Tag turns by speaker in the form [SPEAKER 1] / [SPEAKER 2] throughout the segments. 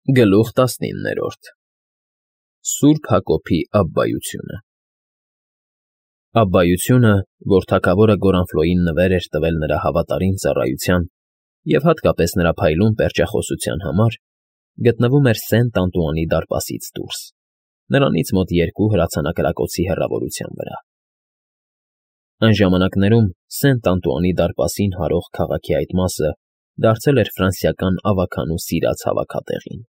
[SPEAKER 1] Գլուխ 19 Սուրբ Հակոբի Աբբայությունը Աբբայությունը, որ թագավորը Գորանֆլոյին նվեր էր տվել նրա հավատարիմ ծառայության և հատկապես նրա փայլուն պերճախոսության համար, գտնվում էր Սենտ Անտուանի դարպասից դուրս, նրանից մոտ 2 հրացանակրակոցի հեռավորության վրա։ Այն ժամանակներում Սենտ Անտուանի դարպասին հարող քաղաքի այդ մասը դարձել էր ֆրանսիական ավագանու սիրած հավաքատեղին,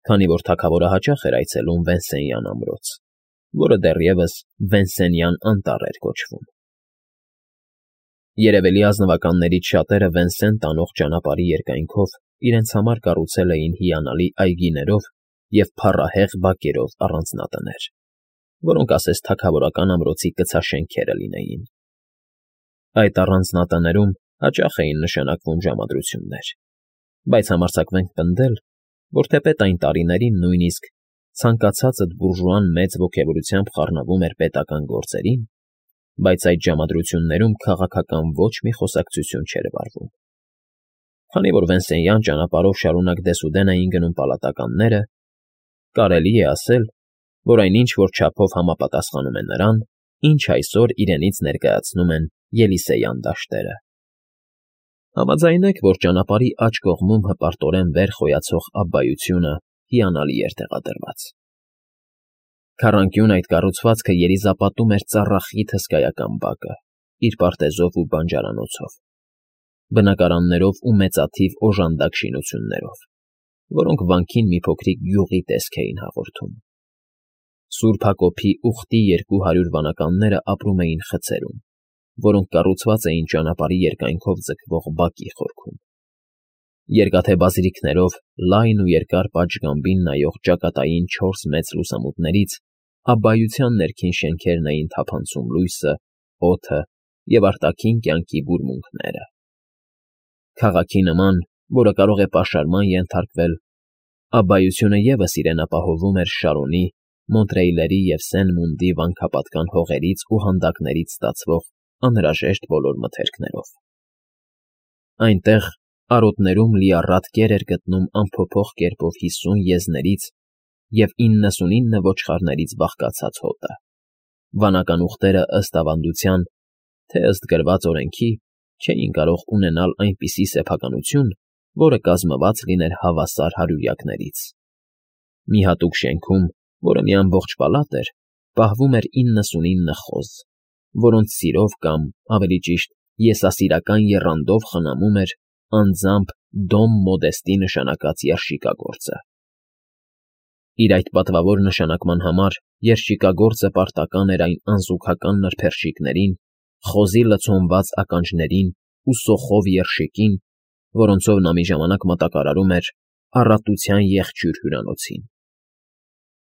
[SPEAKER 1] քանի որ թագավորը հաճախ էր այցելում Վենսենյան ամրոց, որը դեռևս Վենսենյան անտառ էր կոչվում։ Երևելի ազնվականներից շատերը Վենսեն տանող ճանապարհի երկայնքով իրենց համար կառուցել էին հիանալի այգիներով և փառահեղ բակերով առանձնատներ, որոնք ասես թագավորական ամրոցի կցաշենքերը լինեին։ Այդ առանձնատներում հաճախ էին նշանակվում ժամադրություններ, բայց համարձակվենք պնդել, որ թեպետ այն տարիներին նույնիսկ ցանկացածդ բուրժուան մեծ ոգևորությամբ խառնվում էր պետական գործերին, բայց այդ ժամադրություններում քաղաքական ոչ մի խոսակցություն չէր վարվում։ Քանի որ Վենսենյան ճանապարհով շարունակ դեսուդեն էին գնում պալատականները, կարելի է ասել, որ այնինչ որ չափով համապատասխանում է նրան, ինչ այսօր իրենից ներկայացնում են Ելիսեյան դաշտերը։ Համաձայնեք, որ ճանապարհի աջ կողմում հպարտորեն վեր խոյացող աբբայությունը հիանալի էր տեղադրված։ Քառանկյուն այդ կառուցվածքը երիզապատում էր ծառախիտ հսկայական բակը, իր պարտեզով ու բանջարանոցով, բնակարաններով ու մեծաթիվ օժանդակ շինություններով, որոնք վանքին մի փոքրիկ գյուղի տեսք էին հաղորդում։ Սուրբ Հակոբի ուխտի 200 վանականները ապրում էին խցերում, որոնք կառուցված էին ճանապարհի երկայնքով ձգվող բակի խորքում։ Երկաթե բազրիքներով լայն ու երկար պատշգամբին նայող ճակատային 4 մեծ լուսամուտներից աբբայության ներքին շենքերն էին թափանցում լույսը, օդը և արտաքին կյանքի բուրմունքները։ Քաղաքի նման, որը կարող է պաշարման ենթարկվել, աբբայությունը ևս իրեն ապահովում էր Շարոնի, Մոնտրեյլերի և Սեն֊Մունդի վանքապատկան հողերից ու հանդակներից ստացվող անհրաժեշտ բոլոր մթերքներով։ Այնտեղ արոտներում լիառատ կեր էր գտնում անփոփոխ կերպով 50 եզներից և 99 ոչխարներից բաղկացած հոտը։ Վանական ուղտերը ըստ ավանդության, թե ըստ գրված օրենքի, չէին կարող ունենալ այնպիսի սեփականություն, որը կազմված լիներ հավասար հարյուրյակներից։ Մի հատուկ շենքում, որը մի ամբողջ պալատ էր, պահվում էր 99 խոզ, որոնց սիրով կամ, ավելի ճիշտ, եսասիրական եռանդով խնամում էր անձամբ Դոմ Մոդեստի նշանակած երշիկագործը։ Իր այդ պատվավոր նշանակման համար երշիկագործը պարտական էր այն անզուգական նրբերշիկներին, խոզի լցոնված ականջներին ու սոխով երշիկին, որոնցով նա մի ժամանակ մատակարարում էր Առատության եղջյուր հյուրանոցին։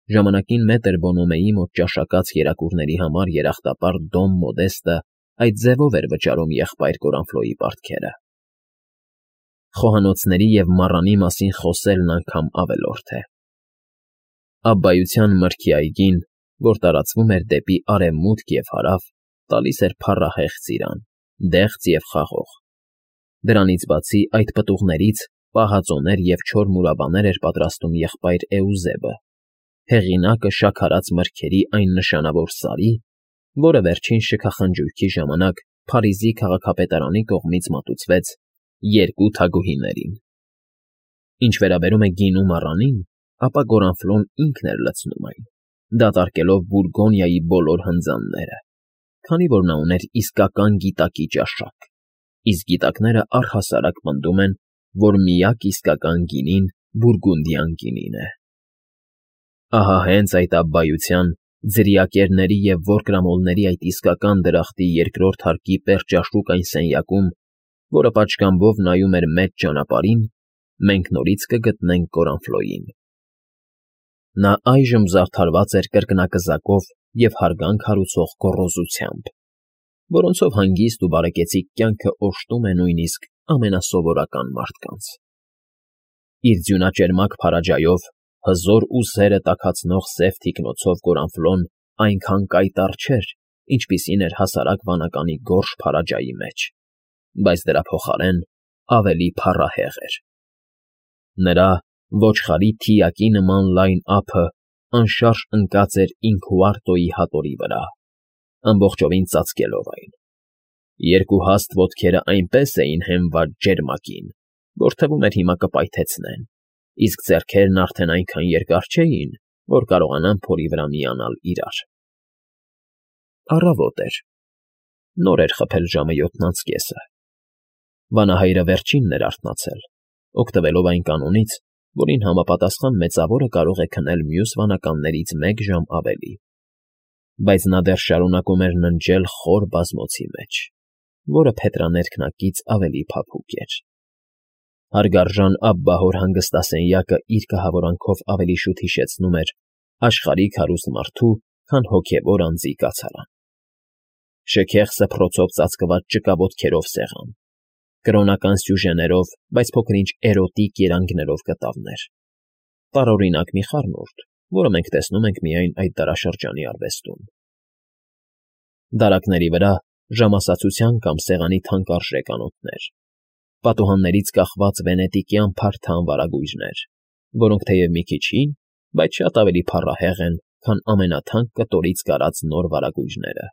[SPEAKER 1] Ժամանակին մետր Բոնոմեի մոտ ճաշակած կերակուրների համար երախտապարտ Դոմ Մոդեստը այդ ձևով էր վճարում եղբայր Գորանֆլոյի պարտքերը։ Խոհանոցների և մառանի մասին խոսելն անգամ ավելորդ է։ Աբբայության մրգի այգին, որ տարածվում էր դեպի արևմուտք և հարավ, տալիս էր փառահեղ ծիրան, դեղց և խաղող։ Դրանից բացի այդ պտուղներից պահածոներ և չոր մուրաբաներ էր պատրաստում եղբայր Էուզեբը, հեղինակը շաքարած մրգերի այն նշանավոր սարի, որը վերջին շքախնջույքի ժամանակ Փարիզի քաղաքապետարանի կողմից մատուցվեց 2 թագուհիներին։ Ինչ վերաբերում է գինու մառանին, ապա Գորանֆլոն ինքն էր լցնում այն, դատարկելով Բուրգոնիայի բոլոր հնձանները, քանի որ նա ուներ իսկական գիտակի ճաշակ, իսկ գիտակները առհասարակ պնդում են, որ միակ իսկական գինին բուրգունդյան գինին է։ Ահա հենց այդ աբբայության, ձրիակերների և որկրամոլների այդ իսկական դրախտի երկրորդ հարկի պերճաշուք այն սենյակում, որը պատշգամբով նայում էր մեծ ճանապարհին, մենք նորից կգտնենք Գորանֆլոյին։ Նա այժմ զարդարված էր կրկնակզակով և հարգանք հարուցող գոռոզությամբ, որոնցով հանգիստ ու բարեկեցիկ կյանքը օժտում է նույնիսկ ամենասովորական մարդկանց։ Իր ձյունաճերմակ փարաջայով, հզոր ուսերը տաքացնող սև թիկնոցով Գորանֆլոն այնքան կայտառ չէր, ինչպիսին էր հասարակ վանականի գորշ փարաջայի մեջ, բայց դրա փոխարեն ավելի փառահեղ էր։ Նրա Ոչխարի թիակի նման լայն ափը անշարժ ընկած էր Ինքուարտոյի հատորի վրա, ամբողջովին ծածկելով այն։ Երկու հաստ ոտքերը այնպես էին հենված ջերմակին, որ թվում էր հիմա կպայթեցնեն, իսկ ձեռքերն արդեն այնքան երկար չէին, որ կարողանան փորի վրա միանալ իրար։ Առավոտ էր։ Նոր էր խփել ժամը 7:30։ Վանահայրը վերջինն էր արթնացել, օգտվելով այն կանոնից, որին համապատասխան մեծավորը կարող է քնել մյուս վանականներից 1 ժամ ավելի։ Բայց նա դեռ շարունակում էր ննջել խոր բազմոցի մեջ, որը փետրաներկնակից ավելի փափուկ էր։ Հարգարժան Աբբահոր հանգստասենյակը իր կահավորանքով ավելի շուտ հիշեցնում էր աշխարհիկ հարուստ մարդու, քան հոգևոր անձի կացարան։ Շքեղ սփռոցով ծածկված ճկավոտքերով սեղան, կրոնական սյուժեներով, բայց փոքր-ինչ էրոտիկ երանգներով կտավներ, տարօրինակ մի խառնուրդ, որը մենք տեսնում ենք միայն այդ դարաշրջանի արվեստում։ Դարակների վրա ժամասացության կամ սեղանի թանկարժեք անոթներ, պատուհաններից կախված վենետիկյան փարթամ վարագույրներ, որոնք թեև մի քիչ հին, բայց շատ ավելի փառահեղ են, քան ամենաթանկ կտորից կարած նոր վարագույրները։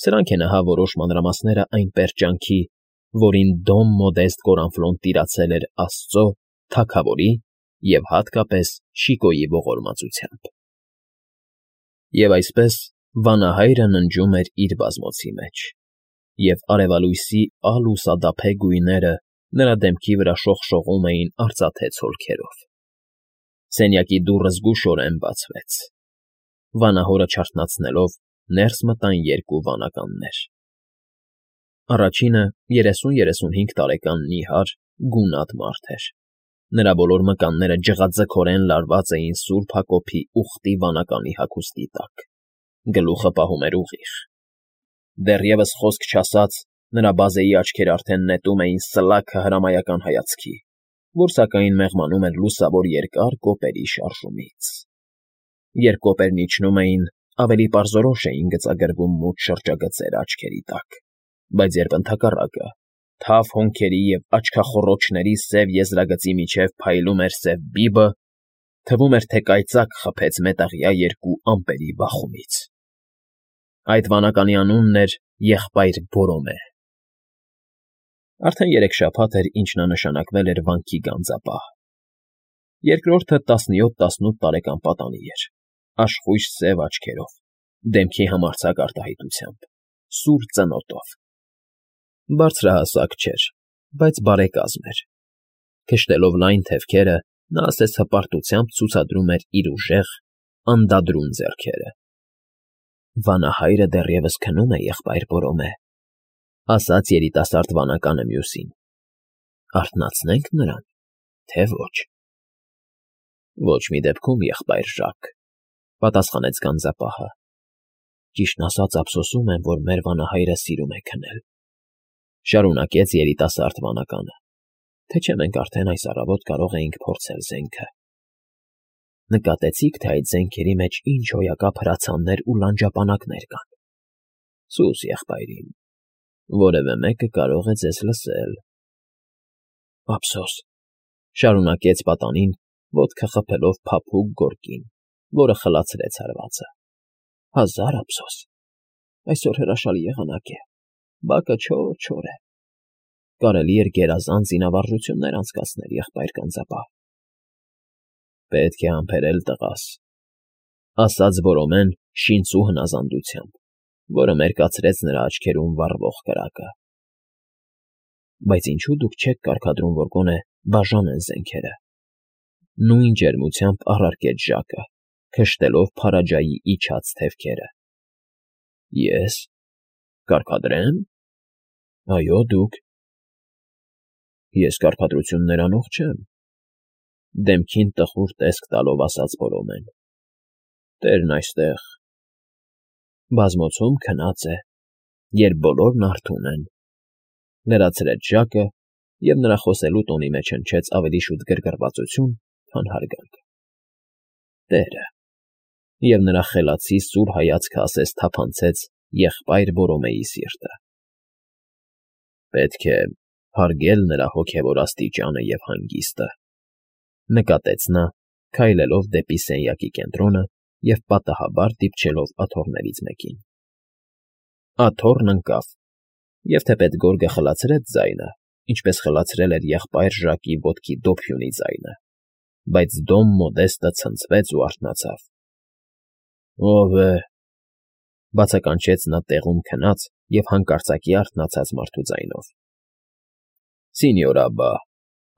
[SPEAKER 1] Սրանք են ահա որոշ մանրամասները այն պերճանքի, որին Դոմ Մոդեստ Կորանֆլոն տիրացել էր Աստծո, Թագավորի և հատկապես Շիկոյի ողորմածությամբ։ Եվ այսպես վանահայրը ննջում էր իր բազմոցի մեջ, և արևալույսի ալուսադափե գույները նրա դեմքի վրա շողշողում էին արծաթե ցոլքերով։ Սենյակի դուռը զգուշորեն բացվեց։ Վանահորը չարթնացնելով ներս մտան 2 վանականներ։ Առաջինը 30-35 տարեկան նիհար, գունատ մարդ էր։ Նրա բոլոր մկանները ջղաձգորեն լարված էին Սուրբ Հակոբի ուխտի վանականի հագուստի տակ, գլուխը պահում էր ուղիղ։ Դեռևս խոսք չասած, նրա բազեի աչքերը արդեն նետում էին սլաքը հրամայական հայացքի, որ սակայն մեղմանում էր լուսավոր երկար կոպերի շարժումից։ Երբ կոպերն իջնում էին, ավելի պարզորոշ էին գծագրվում մութ շրջագծեր աչքերի տակ, բայց երբ ընդհակառակը, թավ հոնքերի և աչքախոռոչների սև եզրագծի միջև փայլում էր սև բիբը, թվում էր, թե կայծակ խփեց մետաղյա 2 ամպերի բախումից։ Այդ վանականի անունն էր Եղբայր Բորոմե։ Արդեն 3 շաբաթ էր, ինչ նա նշանակվել էր վանքի գանձապահ։ Երկրորդը 17-18 տարեկան պատանի էր, աշխույժ սև աչքերով, դեմքի համարձակ արտահայտությամբ, սուր ծնոտով։ Բարձրահասակ չէր, բայց բարեկազմ էր։ Քշտելով լայն թևքերը, նա ասես հպարտությամբ ցուցադրում էր իր ուժեղ, անդադրուն ձեռքերը։ Վանահայրը դեռևս քնում է, եղբայր Բորոմե, ասաց երիտասարդ վանականը մյուսին։ Արթնացնե՞նք նրան, թե ոչ։ Ոչ մի դեպքում, եղբայր Ժակ, պատասխանեց գանձապահը։ Ճիշտն ասած, ափսոսում եմ, որ մեր վանահայրը սիրում է քնել, շարունակեց երիտասարդ վանականը, թե չէ մենք արդեն այս առավոտ կարող էինք փորձել զենքը։ Նկատեցի՞ք, թե այդ զենքերի մեջ ինչ հոյակապ հրացաններ ու լանջապանակներ կան։ Սուս, եղբայրին, որևէ մեկը կարող է ձեզ լսել։ Ափսոս, շարունակեց պատանին, ոտքը խփելով փափուկ գորգին, որը խլացրեց հարվածը։ Հազար ափսոս։ Այսօր հրաշալի եղանակ է, բակը չոր է։ Կարելի էր գերազանց զինավարժություններ անցկացնել, եղբայր գանձապահ։ Պետք է համբերել տղաս, ասաց Բորոմեն շինծու հնազանդությամբ, որը մերկացրեց նրա աչքերում վառվող կրակը։ Բայց ինչու դուք չեք կարգադրում, որ գոնե բաժանեն զենքերը։ Նույն ջերմությամբ առարկեց Ժակը, քշտելով Փարաջայի իջած թևքերը։ Ես կարգադրեմ։ Այո, դուք։ Ես կարգադրություններ անող չեմ, դեմքին տխուր տեսք տալով ասաց Բորոմեն։ Տերն այստեղ բազմոցում քնած է, երբ բոլորն արթուն են, լրացրեց Ժակը, և նրա խոսելու տոնի մեջ հնչեց ավելի շուտ գրգռվածություն, քան հարգանք։ Տերը, և նրա խելացի սուր հայացքը ասես թափանցեց եղբայր Բորոմեի սիրտը։ Պետք է հարգել նրա հոգևոր աստիճանը և հանգիստը, նկատեց նա, քայլելով դեպի սենյակի կենտրոնը և պատահաբար դիպչելով աթոռներից մեկին։ Աթոռն ընկավ, և թեպետ գորգը խլացրեց ձայնը, ինչպես խլացրել էր եղբայր Ժակի ոտքի դոփյունի ձայնը, բայց Դոն Մոդեստը ցնցվեց ու արթնացավ։ ո՞վ է,֊ բացականչեց նա տեղում քնած և հանկարծակի արթնացած մարդու ձայնով։ Սինյոր Աբբա,֊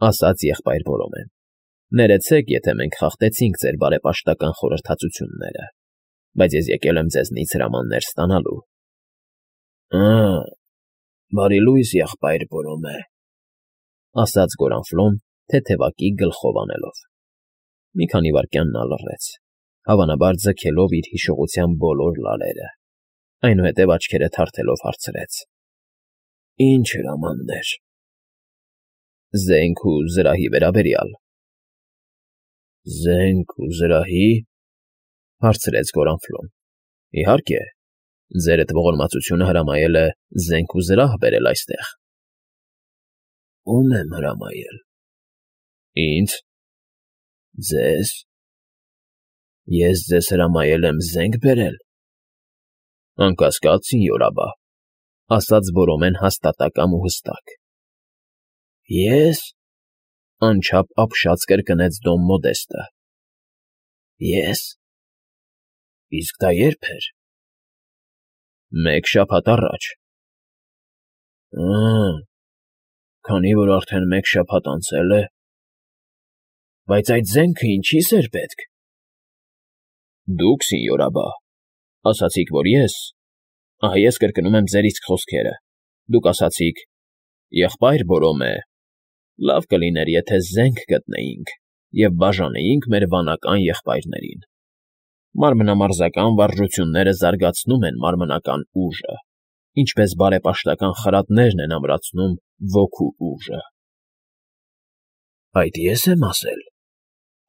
[SPEAKER 1] ասաց եղբայր Բորոմեն,֊ ներեցեք, եթե մենք խախտեցինք ձեր բարեպաշտական խորհրդածությունները, բայց ես եկել եմ ձեզնից հրամաններ ստանալու։ Ա՛, բարի լույս, եղբայր Բորոմե,֊ ասաց Գորանֆլոն, թեթևակի գլխով անելով։ Մի քանի վայրկյան նա լռեց, հավանաբար ձգելով իր հիշողության բոլոր լարերը, այնուհետև աչքերը թարթելով հարցրեց. Ինչ հրամաններ։ Զենք ու զրահի վերաբերյալ։ Զենք ու զրահի,֊ հարցրեց Գորանֆլոն։ Իհարկե, ձերդ ողորմածությունը հրամայել է զենք ու զրահ բերել այստեղ։ Ո՞ւմ եմ հրամայել։ Ինձ։ Ձեզ։ Ես ձեզ հրամայել եմ զենք բերել։ Անկասկած, սինյոր Աբբա,֊ ասաց Բորոմեն հաստատակամ ու հստակ։ Ես,֊ անչափ ապշած կրկնեց Դոն Մոդեստը։ Ես։ Իսկ դա ե՞րբ էր։ Մեկ շաբաթ առաջ։ Ա՛, քանի որ արդեն մեկ շաբաթ անցել է։ Բայց այդ զենքը ինչի՞ս էր պետք։ Դուք, սինյոր Աբբա, ասացիք, որ ահա ես կրկնում եմ ձեր իսկ խոսքերը, դուք ասացիք. եղբայր Բորոմե, լավ կլիներ, եթե զենք գտնեինք և բաժանեինք մեր վանական եղբայրներին։ Մարմնամարզական վարժությունները զարգացնում են մարմնական ուժը, ինչպես բարեպաշտական խրատներն են ամրացնում ոգու ուժը։ Այդ ես եմ ասել,֊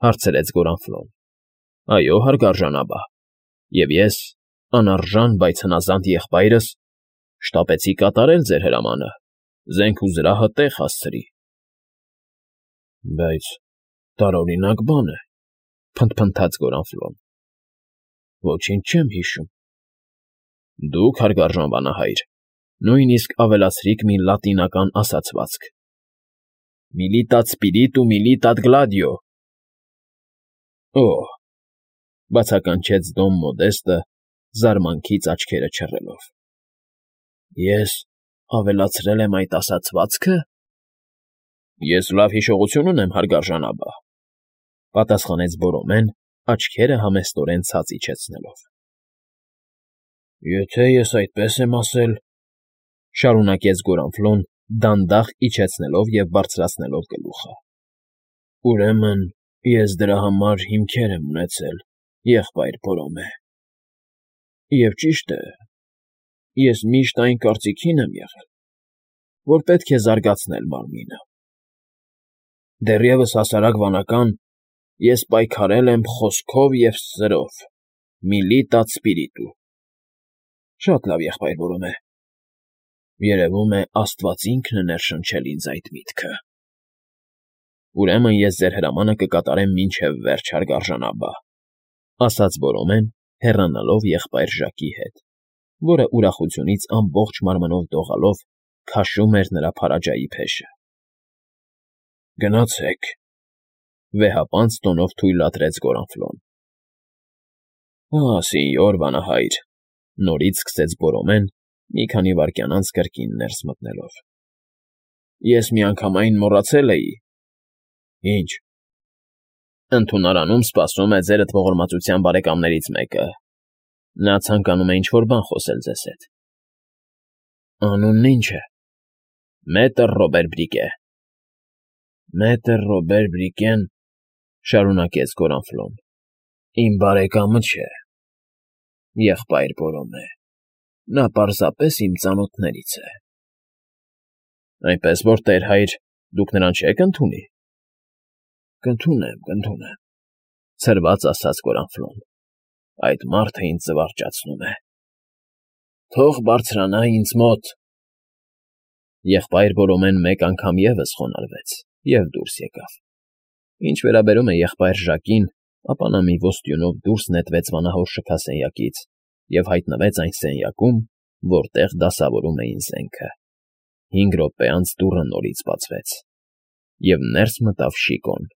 [SPEAKER 1] հարցրեց Գորանֆլոն։ Այո, հարգարժան Աբբա, և ես, անարժան, բայց հնազանդ եղբայրս, շտապեցի կատարել ձեր հրամանը, զենք ու զրահը տեղ հասցրի։ Բայց տարօրինակ բան է,֊ փնթփնթաց Գորանֆլոն։ Ոչինչ չեմ հիշում։ Դուք, հարգարժան վանահայր, նույնիսկ ավելացրիք մի լատինական ասացվածք. Militat spiritu militat gladio։ Օհ,֊ բացականչեց Դոն Մոդեստը, զարմանքից աչքերը չռելով։ Ես ավելացրել եմ այդ ասացվածքը։ Ես լավ հիշողություն ունեմ, հարգարժան Աբբա,֊ պատասխանեց Բորոմեն, աչքերը համեստորեն ցած իջեցնելով։ Եթե ես այդպես եմ ասել,֊ շարունակեց Գորանֆլոն, դանդաղ իջեցնելով և բարձրացնելով գլուխը,֊ ուրեմն ես դրա համար հիմքեր եմ ունեցել, եղբայր Բորոմե։ Եվ ճիշտ է, ես միշտ այն կարծիքին եմ եղել, որ պետք է զարգացնել մարմինը։ Դեռևս հասարակ վանական ես պայքարել եմ խոսքով և սրով, militat spiritu։ Շատ լավ, եղբայր Բորոմե։ Երևում է, աստված ինքն է ներշնչել ինձ այդ միտքը։ Ուրեմն ես ձեր հրամանը կկատարեմ մինչև վերջ, հարգարժան Աբբա,֊ ասաց Բորոմեն, հեռանալով եղբայր Ժակի հետ, որը ուրախությունից ամբողջ մարմնով դողալով քաշում էր նրա փարաջայի փեշը։ Գնացեք,֊ վեհապանծ տոնով թույլատրեց Գորանֆլոն։ Սինյոր վանահայր,֊ նորից սկսեց Բորոմեն, մի քանի վայրկյան անց կրկին ներս մտնելով։ Ես միանգամայն մոռացել էի։ Ինչ։ Ընդունարանում սպասում է ձերդ ողորմածության բարեկամներից մեկը։ Նա ցանկանում է ինչ-որ բան խոսել ձեզ հետ։ Անունն ի՞նչ է։ Մետր Ռոբեր Բրիկե։ Մետր Ռոբեր Բրիկեն,֊ շարունակեց Գորանֆլոն,֊ իմ բարեկամը չէ, եղբայր Բորոմե, նա պարզապես իմ ծանոթներից է։ Այնպես որ, տեր հայր, դուք նրան չեք ընդունի։ Կընդունեմ,֊ ցրված ասաց Գորանֆլոն։ Այդ մարդը ինձ զվարճացնում է։ Թող բարձրանա ինձ մոտ։ Եղբայր Բորոմեն մեկ անգամ ևս խոնարհվեց և դուրս եկավ։ Ինչ վերաբերում է եղբայր Ժակին, ապա նա մի ոստյունով դուրս նետվեց վանահոր շքասենյակից և հայտնվեց այն սենյակում, որտեղ դասավորում էին զենքը։ 5 րոպե անց դուռը նորից բացվեց, և ներս մտավ Շիկոն։